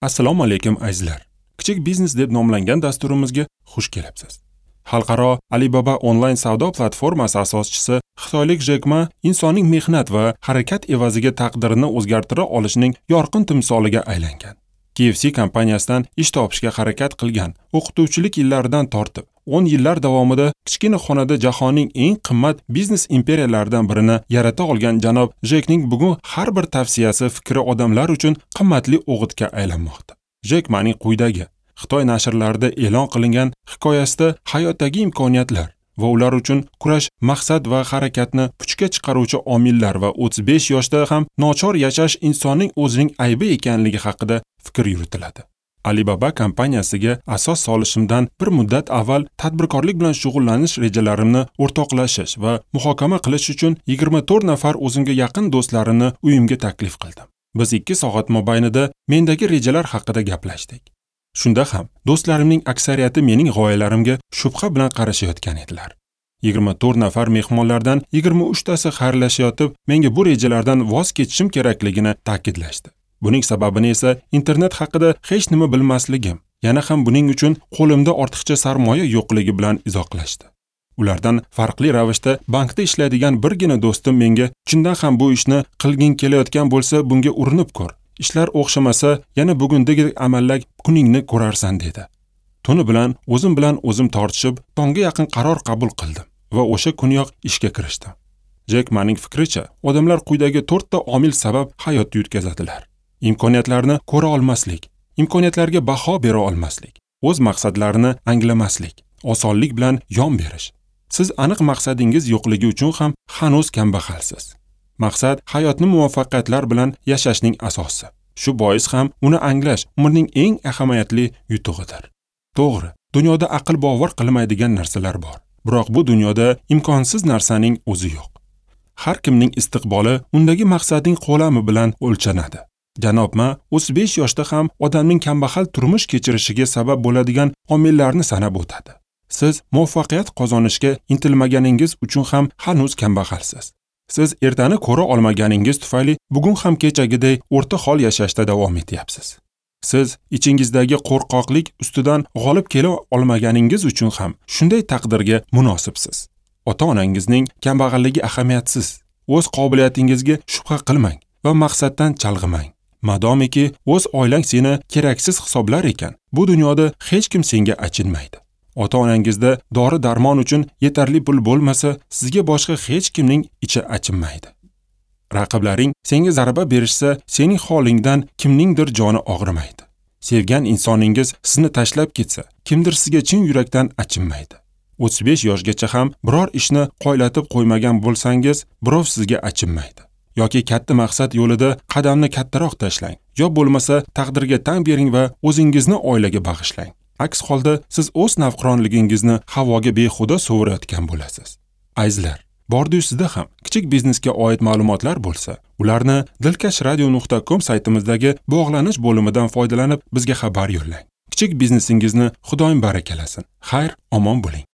Assalomu alaykum azizlar. Kichik biznes deb nomlangan dasturimizga xush kelibsiz. Xalqaro Alibaba onlayn savdo platformasi asoschisi xitoylik Jek Ma insonning mehnat va harakat evaziga taqdirini o'zgartira olishining yorqin timsoliga aylangan. KFC kompaniyasidan ish topishga harakat qilgan o'qituvchilik yillaridan tortib 10 yillar davomida kichkina xonada jahonning eng qimmat biznes imperiyalaridan birini yarata olgan janob Jekning bugun har bir tavsiyasi fikri odamlar uchun qimmatli o'g'itga aylanmoqda. Jek Maning quyidagi Xitoy nashrlarida e'lon qilingan hikoyasida hayotdagi imkoniyatlar va ular uchun kurash, maqsad va harakatni puchga chiqaruvchi omillar va 35 yoshda ham nochor yashash insonning o'zining aybi ekanligi haqida fikr yuritiladi. Alibaba kompaniyasiga asos solishimdan bir muddat avval tadbirkorlik bilan shug'ullanish rejalarimni o'rtoqlashish va muhokama qilish uchun 24 nafar o'zimga yaqin do'stlarimni uyimga taklif qildim. Biz 2 soat mobaynida mendagi rejalar haqida gaplashdik. Shunda ham do'stlarimning aksariyati mening g'oyalarimga shubha bilan qarashayotgan edilar. 24 nafar mehmonlardan 23 tasi xayrlashayotib, menga bu rejalardan voz kechishim kerakligini ta'kidlashdi. Buning sababini esa internet haqida hech nima bilmasligim, yana ham buning uchun qo'limda ortiqcha sarmoya yo'qligi bilan izohlashdi. Ulardan farqli ravishda bankda ishlaydigan birgina do'stim menga chindan ham bu ishni qilging kelayotgan bo'lsa, bunga urinib ko'r. Ishlar o'xshamasa, yana bugundagi amallak kuningni ko'rarsan dedi. Tuni bilan o'zim bilan o'zim tortishib, tongga yaqin qaror qabul qildim va o'sha kuniyoq ishga kirishdim. Jek Maning fikricha, odamlar quyidagi 4 ta omil sabab hayotni yutkazadilar. Imkoniyatlarni ko'ra olmaslik, imkoniyatlarga baho bera olmaslik, o'z maqsadlarini anglamaslik, osonlik bilan yon berish. Siz aniq maqsadingiz yo'qligi uchun ham hanuz kambag'alsiz. Maqsad hayotni muvaffaqiyatlar bilan yashashning asosi. Shu bois ham uni anglash umrning eng ahamiyatli yutug'idir. To'g'ri, dunyoda aql bovar qilmaydigan narsalar bor. Biroq bu dunyoda imkonsiz narsaning o'zi yo'q. Har kimning istiqboli undagi maqsadning qo'lami bilan o'lchanadi. Janob Ma 35 yoshda ham odamning kambag'al turmush kechirishiga sabab bo'ladigan omillarni sanab o'tadi. Siz muvaffaqiyat qozonishga intilmaganingiz uchun ham hanuz kambag'alsiz. Siz ertani ko'ra olmaganingiz tufayli bugun ham kechagiday o'rta hol yashashda davom etyapsiz. Siz ichingizdagi qo'rqoqlik ustidan g'olib kela olmaganingiz uchun ham shunday taqdirga munosibsiz. Ota-onangizning kambag'alligi ahamiyatsiz. O'z qobiliyatingizga shubha qilmang va maqsaddan chalg'imang. Madomiki o'z oilang seni keraksiz hisoblar ekan, bu dunyoda hech kim senga achinmaydi. Ota-onangizda dori-darmon uchun yetarli pul bo'lmasa, sizga boshqa hech kimning ichi achinmaydi. Raqiblaring senga zarba berishsa, sening holingdan kimningdir joni og'rimaydi. Sevgan insoningiz sizni tashlab ketsa, kimdir sizga chin yurakdan achinmaydi. 35 yoshgacha ham biror ishni qoylatib qo'ymagan bo'lsangiz, birov sizga achinmaydi. Yoki katta maqsad yo'lida qadamni kattaroq tashlang, yo bo'lmasa taqdirga tan bering va o'zingizni oilaga bag'ishlang. Aks holda siz o'z navqironligingizni havoga behuda sovurayotgan bo'lasiz. Azizlar, bordi-yu sizda ham kichik biznesga oid ma'lumotlar bo'lsa, ularni dilkashradio.com saytimizdagi bog'lanish bo'limidan foydalanib bizga xabar yo'llang. Kichik biznesingizni Xudoyim barakalasin. Xayr, omon bo'ling.